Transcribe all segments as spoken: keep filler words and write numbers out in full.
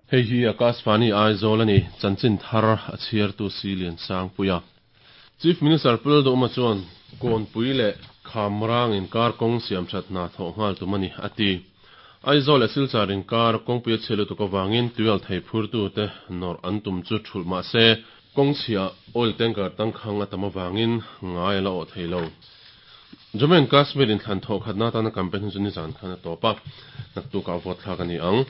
Hei hi Akashvani Aizawl ani chanchin thar a chhiar tu Silian Sangpuia. Chief Minister Pu Lalduhoma chuan Kawnpui leh Khamrang inkar kawng siam that hna thawh nghal tum ani a ti. Aizawl leh Silchar inkar kawngpui a chhia lutuk avangin tuial thei phurtu te nawrh an tum chu thulh mahse kawng chhia oil tanker tangkhang a tam avangin ngai a la awh thei lo. Jammu and Kashmir inthlan thawh khatna atana campaign hun chu nizan khan a tawp a, naktukah vote thlak a ni ang.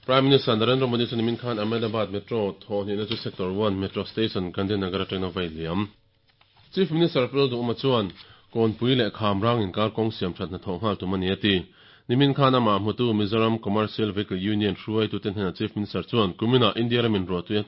Prime Minister Narendra Modi chu nimin khan Ahmedabad Metro thawh hnihna chu Sector one Metro Station Gandhinagar atangin a vai liam. Chief Minister Pu Lalduhoma chuan Kawnpui leh Khamrang inkar kawng siam that hna thawh nghal tum a ni a ti. Nimin khan amah hmutu Mizoram Commercial Vehicle Union hruaitute hnenah Chief Minister chuan kuminah India ramin ruahtui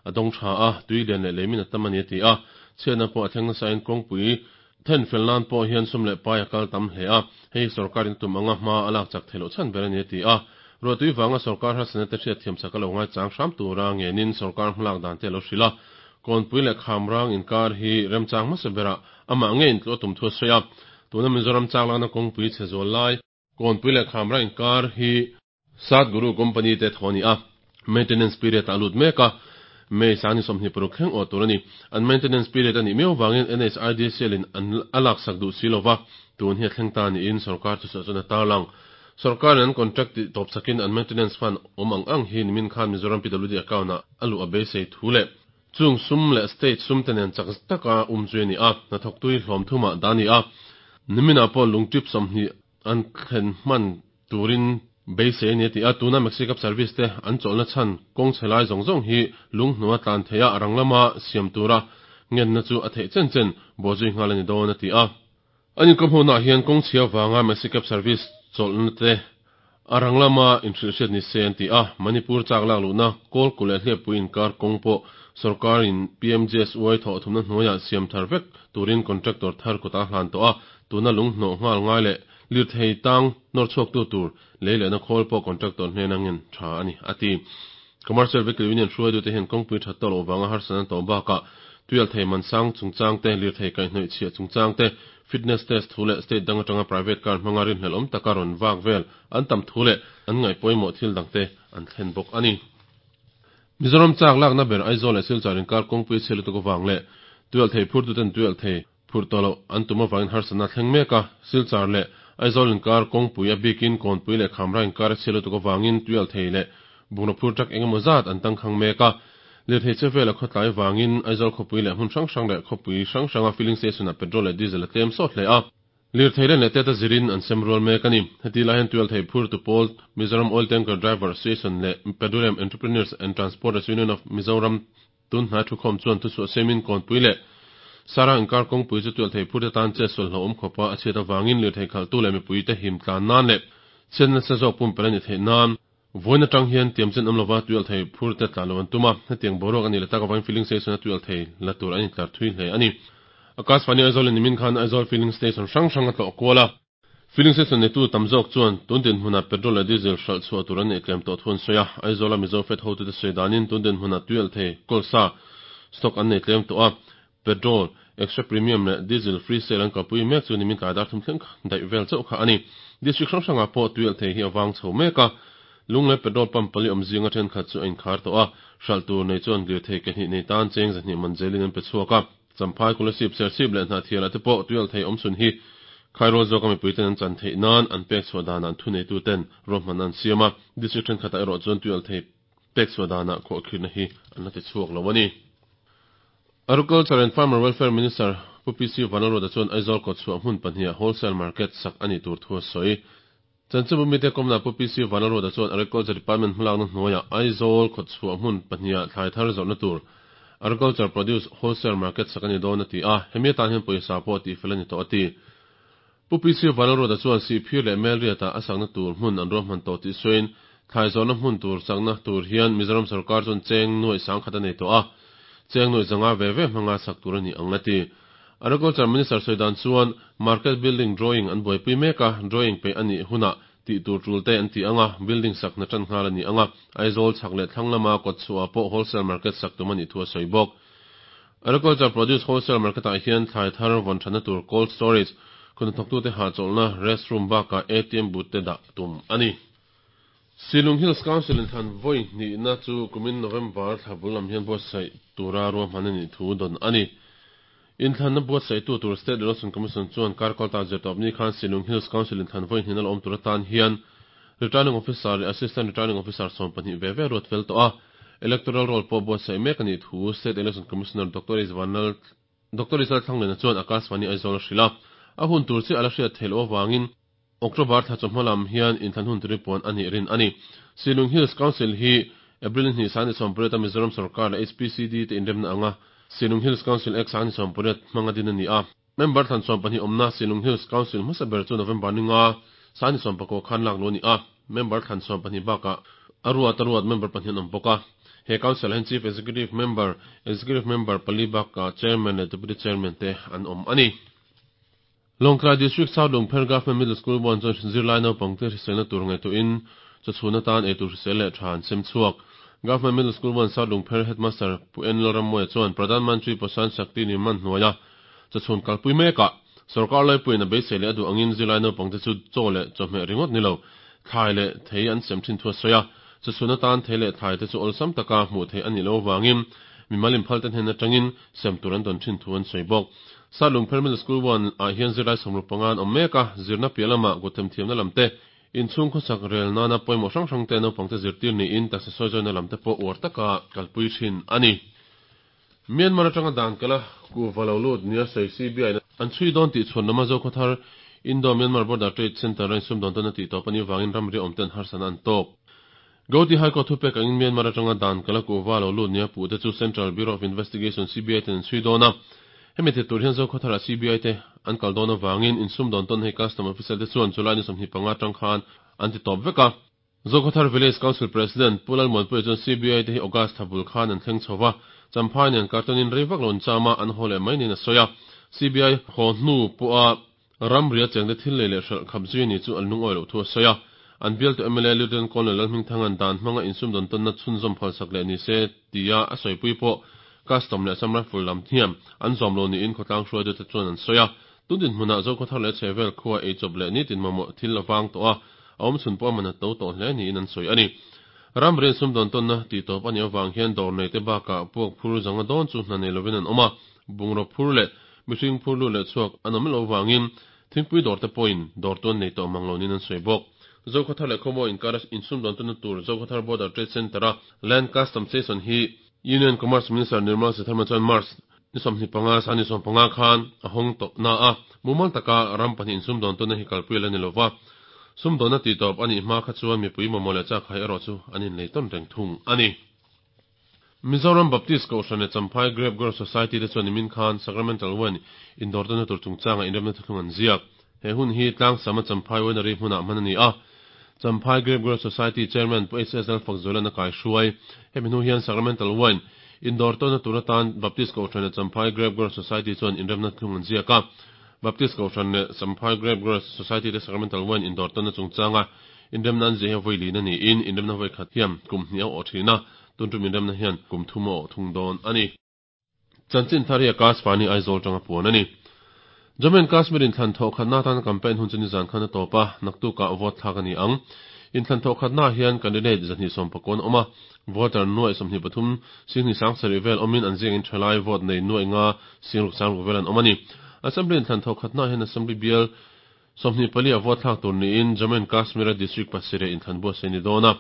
a dawng tha a, tui lian leh leimin a tam a ni a ti a. Chhiatna pawh a thleng nasain kawngpui then fel nan pawh hian sum leh pai a kal tam hle a, hei sorkarin tum anga hma a lak chak theih loh chhan ber a ni a ti a. Ruahtui vanga sorkar harsatna te hriatthiam chak a lo ngaichang hram tura ngenin sorkar hmalak dan te a lo hrilh a. Kawnpui leh Khamrang inkar hi remchang hmasa berah amah ngei intluah tum thu a sawi a. Tuna Mizoram chak lakna kawngpui chhe zual lai Kawnpui leh Khamrang inkar hi Satguru company te thaw a ni a, maintenance period ah a lut mek a, May sangni sawmhnih paruk thleng awh tur a ni. An maintenance period a nih miau vangin N H I D C L in an a laksak duh si lova, tun hi a thleng ta niin sorkar chu chuan a tarlang. Sorkarin an contract tih tawp sakin an maintenance fund awm ang ang hi nimin khan Mizoram P W D account ah a luh a beisei thu leh chung sum leh state sum te nen chak taka um zui a ni a, hnathawktui hlawm thumah dah a ni a. Niminah pawh lungtip sawmhnih an thlen hman turin beisei a ni a ti a, tuna Maxi Cab Service te an chawlhna chhan kawng chhe lai zawng zawng hi lunghnua tlan theih a rang lama siam tura ngenna chu a theih chen chen bawhzui nghal a ni dawn a ti a. An inkawm hunah hian kawng chhia vanga Maxi Cab Service chawlhna te a rang lama inhrilhhriat ni se an ti a, Manipur chak lak luhna Kawlkulh leh Hliappui inkar kawng pawh sorkarin P M G S Y thawh thumna hnuaiah siam thar vek turin contractor thar kutah a hlan tawh a, tuna lunghnawh nghal ngai leh lirthei tang nawr chhuaktu tur lei lehna khawl pawh contractor hnena ngen tha a ni a ti. Commercial Vehicle Union hruaitute hian kawngpui that tawh loh vanga harsatna tawh bakah tuial thei mansang chungchang te, lirthei kaihhnawih chhiah chungchang te, fitness test thu leh state dang atanga private car hmanga rinhlelh awm taka rawn vak vel an tam thu leh an ngaih pawimawh thil dangte an thlen bawk a ni. Mizoram chak lakna ber Aizawl leh Silchar inkar kawngpui chhe lutuk avang leh tuial thei phurtuten tuial thei phurh tawh loh an tum avangin harsatna thleng mek a, Silchar leh Aizawl inkar kawngpui a bikin Kawnpui leh Khamrang inkar a chhia lutuk avangin tuial thei leh bungraw phur truck engemaw zat an tangkhang mek a. Lirthei che vela khawtlai vangin Aizawl khawpui leh hmun hrang hrang leh khawpui hrang hranga filling station ah petrol leh diesel a tlem sawt hle a. Lirthei len leh tet a zirin an sem rual mek a ni. Heti lai hian tuial thei phur tu pawl Mizoram Oil Tanker Driver Association leh Petroleum Entrepreneurs and Transporters Union of Mizoram tun hnai thukhawm chuan thuchhuah semin Kawnpui leh Sarang inkar kawngpui chu tuial thei phur te tan chet sual hlauhawm khawpa a chhiat avangin lirthei khalhtu leh mipui te him tlan nan leh chhiatna nasa zawk pumpelh a ni theih nan vawiin atang hian tiam chen awm lova tuial thei phur te tlan lo an tum a, hetiang boruak a nih leh tak avangin filling station a tuial thei la tur an intlar thui hle a ni. Akashvani Aizawl in nimin khan Aizawl filling station hrang hrang a tlawh kual a. Filling station neitu tam zawk chuan tun dinhmunah petrol leh diesel hralh chhuah tur an neih tlem tawh thu an sawi a, Aizawla Mizo Fed hotute sawi danin tun dinhmunah tuial thei kawlsa stock an nei tlem tawh a, petrol extra premium leh diesel free sale an kalpui mek chu nimin tlai dar thum thleng daih vel chauh kha a ni. District hrang hrangah pawh tuial thei hi a vang chho mek a, Lunglei petrol pump pali awm zinga thenkhat chu a inkhar tawh a, hralh tur nei chuan lirthei ke hnih nei tan cheng zahnih man zelin an pe chhuak a. Champhai Kolasib Serchhip leh Hnahthialah te pawh tuial thei awm chhun hi khairawl zawka mipuiten an chan theih nan an pek chhuah danah an thuneituten ruahmanna an siam a, district thenkhatah erawh chuan tuial thei pek chhuah danah khuahkhirhna hi an la ti chhuak lo a ni. Agriculture and Farmer Welfare Minister Pu P C Vanlalruata chuan Aizawl kawtchhuah hmun pahniha wholesale market sak a nih tur thu a sawi. Chanchinbu mite kawmna Pu P C Vanlalruata chuan Agriculture Department hmalakna hnuaiah Aizawl kawtchhuah hmun pahniha thlai thar zawrhna tur Agriculture Produce Wholesale Market sak a ni dawn a ti a, hemi atan hian pawisa pawh tihfel a ni tawh a ti. Pu P C Vanlalruata chuan Sihphir leh Melriata a sakna tur hmun an ruahman tawh tih sawiin thlai zawrhna hmun tur sakna tur hian Mizoram sorkar chuan cheng nuaih sangkhat a nei tawh a, cheng nuaih zanga ve ve hmanga sak tur a ni ang a ti. Agriculture Minister sawi dan chuan Market Building Drawing an buaipui mek a, drawing peih a nih hunah tih tur tul te an ti ang a, building sak hna tan nghal a ni ang a, Aizawl chhak leh thlang lama kawtchhuah pawh wholesale market sak tum a nih thu a sawi bawk. Agriculture Produce Wholesale Market-ah hian thlai thar vawn thatna tur cold storage, khawnhnathawktute hahchawlhna restroom bakah A T M booth te dah tum a ni. Shillong Hills Council inthlan vawi hnihna chu kumin November thla bul lam hian buatsaih tura ruahman a nih thu dawn a ni. Inthlanna buatsaihtu tur State Election Commission chuan kar kalta zirtawp ni khan Shillong Hills Council inthlan vawi hnihna la awm tur atan hian Returning Officer leh Assistant Returning Officer sawm pahnih ve ve ruat fel tawh a, Electoral Roll pawh buatsaih mek a nih thu State Election Commissioner Doctor Isvanlal Doctor Isal Thanglena chuan Akashvani Aizawl a hrilh a. A hun tur chiah a la hriat theih loh avangin October thla chawhma lam hian inthlan hun tur hi puan a nih rin a ni. Shillong Hills Council hi April ni hnih sangni sawmpariat a Mizoram sorkar leh HPCD te inremna anga Shillong Hills Council Act sangni sawmpariat hmanga din a ni a. Member thlan sawm pahnih awmna Shillong Hills Council hmasa ber chu November ni nga sangni sawm pakua khan lak luh a ni a. Member thlan sawm pahnih bakah a ruat a ruat member pahnih an awm bawk a. He Council ah hian Chief Executive Member, Executive Member pali bakah Chairman leh Deputy Chairman te an awm a ni. Lawngtlai District South Lungpher Government Middle School buan chuan zirlai naupangte hriselna tur ngaihtuahin chawchhun atan eitur hrisel leh tha an sem chhuak. Government Middle School buan South Lungpher Headmaster Pu En Lalrammuaia chuan Pradhan Mantri Poshan Shakti Nirman hnuaia chawchhun kalpui mekah sorkar laipuiin a beisei leh a duh angin zirlai naupangte chu chaw leh chawhmeh ringawt ni lo thlai leh thei an sem thin thu a sawi a. Chawchhun atan thei leh thlai te chu awlsam taka hmuh theih a nih loh avangin mimal inphal te hnen atangin sem tur an dawn thin thu an sawi bawk. South Lungpher Middle School one ah hian zirlai sawmruk panga an awm mek a, zirna piah lamah kuthem thiamna lam te, inchhung khawsak rel nana pawimawh hrang hrang te naupangte zirtir niin taksa sawizawi lam te pawh uar taka kalpui thin a ni. Myanmar atanga dan kala kuhva lo lut nia sawi C B I in an chhui dawn tih chhuan lama Zokhawthar Indo-Myanmar Border Trade Centre a insumdawn tawn a tih tawp a nih avangin ramri awmten harsatna an tawk. Gauhati High Court thupek angin Myanmar atanga dan kala kuhva lo lut nia puhte chu Central Bureau of Investigation, C B I ten an chhui dawn a. Hemi ti tur hian Zokhawtharah C B I te an kal dawn avangin insumdawn tawn hei custom officer te chuan July ni sawmhnih panga atang khan an ti tawp vek a. Zokhawthar Village Council President Pu Lalmuanpuia chuan C B I te hi August thla bul khan an thleng chho va, Champhai nen kartawnin rei vak lo an cham a, an haw leh mai niin a sawi a. C B I haw hnu pawha ramria chengte thil lei leh hralh khap zui ni chu an lungawi loh thu a sawi a. An bialtu M L A Lieutenant Colonel Lalhmingthanga'n dan hmanga insumdawn tawnna chhunzawm phalsak leh ni se tia a sawipui pawh custom leh Assam Rifle lam hian an zawm lo niin khawtlang hruaitute chuan an sawi a. Tun dinhmunah Zokhawthar leh chhehvel khua eichawp leh nitin mamawh thil a vang tawh a, a awm chhun pawh a man a to tawh hle niin an sawi a ni. Ramri insumdawn tawnna tih tawp a nih avang hian dawr nei te bakah puak phur zanga dawn chu hna nei lovin an awm a, bungraw phur leh mihring phur lut leh chhuak an awm loh avangin thingpui dawr te pawhin dawr tuan nei tawh mang lo niin an sawi bawk. Zokhawthar leh Khawmawi inkara insumdawn tawnna tur Zokhawthar Border Trade Centre-a Land Custom Station hi Union Commerce Minister Nirmala Sitharaman chuan March ni sawmhnih panga sangni sawm panga khan a hawng tawh na a, mumal taka ram pahnih insumdawn tawnna hi kalpui a la ni lova. Sumdawnna tih tawp a nih hma kha chuan mipui mamawh leh chak hai erawh chu an inlei tawn reng thung a ni. Mizoram Baptist Kohhran leh Champhai Grape Growers Society te chuan nimin khan Sacramental Wine indawr tawnna tur chungchanga inremna thuthlung an ziak. He hun hi Tlangsama Champhai Winery hmunah hman a ni a. Champhai Grape Growers Society Chairman Pu H S Lalfakzuala'n a kaihruai. Hemi hnu hian Sacramental Wine indawr tawnna tur atan Baptist Kohhran leh Champhai Grape Growers Society chuan inremna thuthlung an ziak a. Baptist Kohhran leh Champhai Grape Growers Society te Sacramental Wine indawr tawnna chungchanga inremna an ziah hi vawi lin a niin inremna vawi khat hian kum hnih a awh thin a, tun tum inremna hian kum thum a awh thung dawn a ni. Chanchin thar hi Akashvani Aizawl tanga puan a ni. Jammu and Kashmir inthlan thawh khatna atan campaign hun chu nizan khan a tawp a, naktukah vote thlak a ni ang. Inthlan thawh khatna hian candidate zahnih sawm pakua an awm a, voter nuai sawmhnih pathum singhnih sang sarih vel awmin an ziangin thalai vote nei nuai nga singruk sangruk vel an awm a ni. Assembly inthlan thawh khatna hian Assembly bial sawmhnih pali a vote thlak tur niin Jammu and Kashmir a district pasarih inthlan buatsaih a ni dawn a.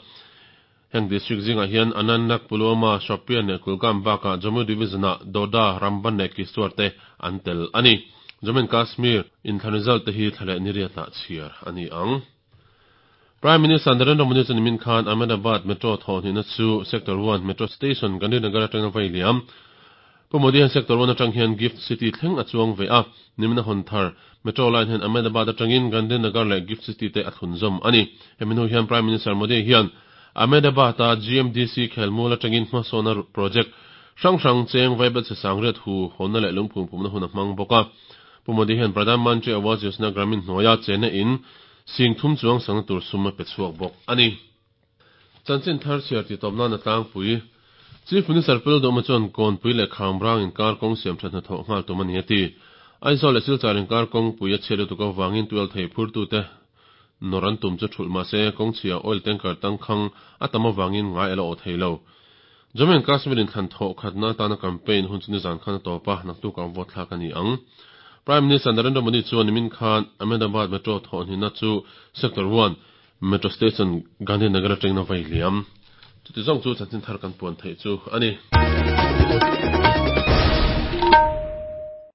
Heng district zingah hian Anantnag, Pulwama, Shopian leh Kulgam bakah Jammu division-ah Doda, Ramban leh Kishtwar te an tel a ni. Jammu and Kashmir inthlan result te hi thla leh ni riatah chhiar a ni ang. Prime Minister Narendra Modi chuan nimin khan Ahmedabad Metro thawhhnihna chu Sector one Metro Station Gandhinagar atanga vai liam. Pu Modi hian Sector one atang hian Gift City thleng a chuang ve a, nimin a hawn thar Metro line hian Ahmedabad atangin Gandhinagar leh Gift City te a thlunzawm a ni. Hemi hnu hian Prime Minister Modi hian Ahmedabad-a G M D C khelmual atangin hmasawna project hrang hrang cheng vaibelchhe sangriat hu hawnna leh lungphum phumna hun a hmang bawk a. Pu Modi hian Pradhan Mantri Awas Yojana Gramin hnuaia chena in sing thum chuang sangna tur sum a pe chhuak bawk a ni. Chanchin thar chhiar ti tawp nan a tlangpui. Chief Minister Pu Lalduhoma chuan Kawnpui leh Khamrang inkar kawng siam that hna thawh nghal tum a ni a ti. Aizawl leh Silchar inkar kawngpui a chhiat lutuk avangin tual thei phurtute nawrh an tum chu thulh mah se kawng chhia oil tanker tangkhang a tam avangin ngai a la awh thei lo. Jammu and Kashmir inthlan thawh khatna atana campaign hun chu nizan khan a tawp a, naktukah vote thlak a ni ang. Prime Minister Narendra Modi chuan nimin khan Ahmedabad Metro thawhhnihna chu Sector one Metro Station Gandhinagar atangin a vai liam. Chuti zawng chu chanchin thar kan puan theih chu a ni.